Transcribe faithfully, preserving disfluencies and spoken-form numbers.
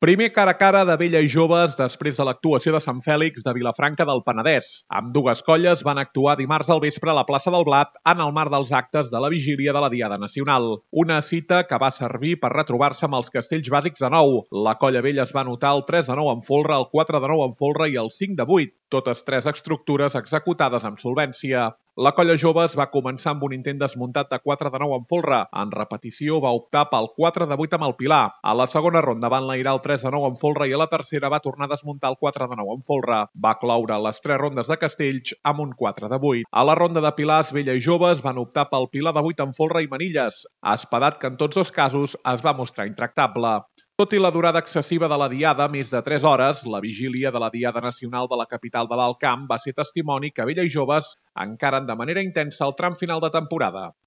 Primer cara a cara de Vella i Joves després de l'actuació de Sant Fèlix de Vilafranca del Penedès. Ambdues colles van actuar dimarts al vespre a la plaça del Blat en el marc dels actes de la vigília de la Diada Nacional. Una cita que va servir per retrobar-se amb els castells bàsics de nou. La colla Vella es va anotar el tres a nou en folre, el quatre de nou en folre i el cinc de vuit, totes tres estructures executades amb solvència. La colla Joves va començar amb un intent desmuntat de quatre de nou en folre. En repetició va optar pel quatre de vuit amb el Pilar. A la segona ronda van enlairar el tres de nou en folre i a la tercera va tornar a desmuntar el quatre de nou en folre. Va cloure les tres rondes de castells amb un quatre de vuit. A la ronda de Pilars, Vella i Joves van optar pel Pilar de vuit en folre i manilles, espadat que en tots dos casos es va mostrar intractable. Tot i la durada excessiva de la Diada, més de tres hores, la vigília de la Diada Nacional de la capital de l'Alt Camp va ser testimoni que Vella i Joves encaren de manera intensa el tram final de temporada.